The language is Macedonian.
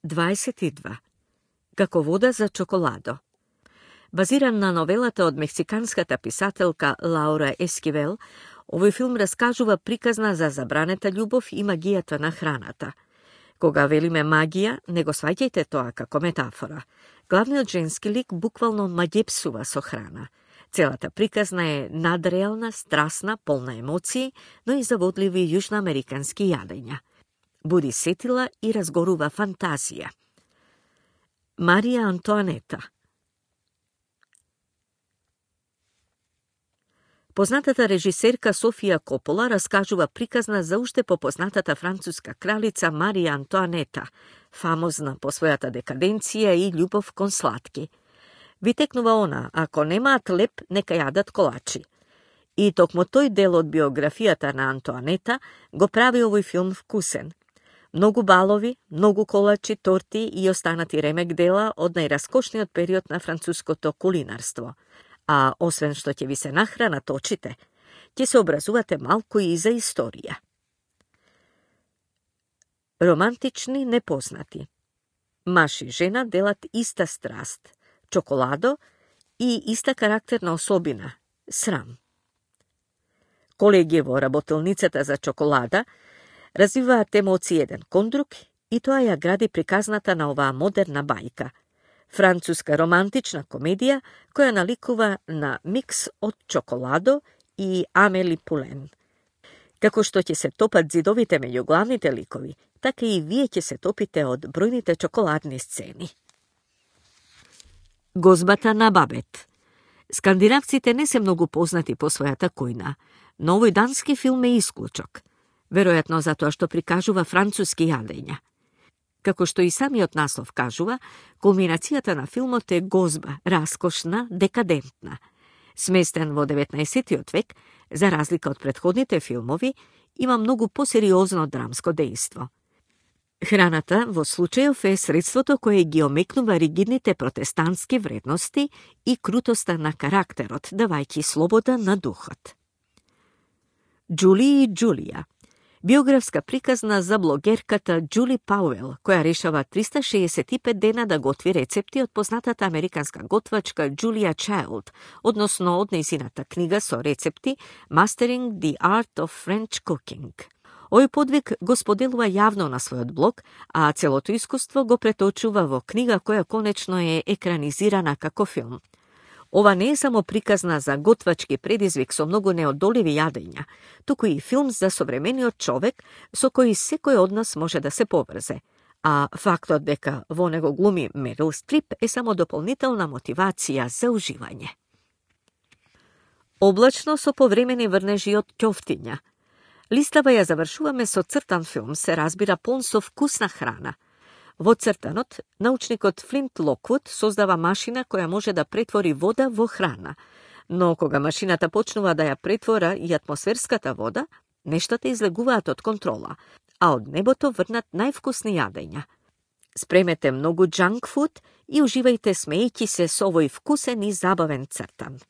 22. Како вода за чоколадо. Базиран на новелата од мексиканската писателка Лаура Ескивел, овој филм раскажува приказна за забранета љубов и магијата на храната. Кога велиме магија, не го сваќајте тоа како метафора. Главниот женски лик буквално маѓепсува со храна. Целата приказна е надреална, страсна, полна емоции, но и заводливи јужноамерикански јадења. Буди сетила и разгорува фантазија. Марија Антоанета. Познатата режисерка Софија Копола раскажува приказна за уште попознатата француска кралица Марија Антоанета, фамозна по својата декаденција и љубов кон слатки. Витекнува она, ако немаат леп, нека јадат колачи. И токму тој дел од биографијата на Антоанета го прави овој филм вкусен. Многу балови, многу колачи, торти и останати ремек дела од најраскошниот период на француското кулинарство. А освен што ќе ви се нахранат очите, ќе се образувате малку и за историја. Романтични непознати. Маж и жена делат иста страст, чоколадо и иста карактерна особина – срам. Колеги во работилницата за чоколада развиваат емоции еден кон друг и тоа ја гради приказната на оваа модерна бајка – француска романтична комедија која наликува на микс од чоколадо и Амели Пулен. Како што ќе се топат зидовите меѓу главните ликови, така и вие ќе се топите од бројните чоколадни сцени. Гозбата на Бабет. Скандинавците не се многу познати по својата којна, но овој дански филм е исклучок, веројатно затоа што прикажува француски јадења. Како што и самиот наслов кажува, кулминацијата на филмот е гозба, раскошна, декадентна. Сместен во 19. век, за разлика од претходните филмови, има многу посериозно драмско дејство. Храната во случајов е средството кое ги омекнува ригидните протестантски вредности и крутоста на карактерот, давајќи слобода на духот. Џули и Џулија. Биографска приказна за блогерката Џули Пауел, која решава 365 дена да готви рецепти од познатата американска готвачка Џулија Чайлд, односно од нејзината книга со рецепти Mastering the Art of French Cooking. Овој подвиг го споделува јавно на својот блог, а целото искуство го преточува во книга која конечно е екранизирана како филм. Ова не е само приказна за готвачки предизвик со многу неодоливи јадења, туку и филм за современиот човек со кој секој од нас може да се поврзе, а фактот дека во него глуми Мерил Стрип е само дополнителна мотивација за уживање. Облачно со повремени врнежи од ќофтиња. Листава ја завршуваме со цртан филм, се разбира полн со вкусна храна. Во цртанот, научникот Флинт Локвуд создава машина која може да претвори вода во храна, но кога машината почнува да ја претвора и атмосферската вода, нештата излегуваат од контрола, а од небото врнат највкусни јадења. Спремете многу джанк фуд и уживајте смејќи се со овој вкусен и забавен цртан.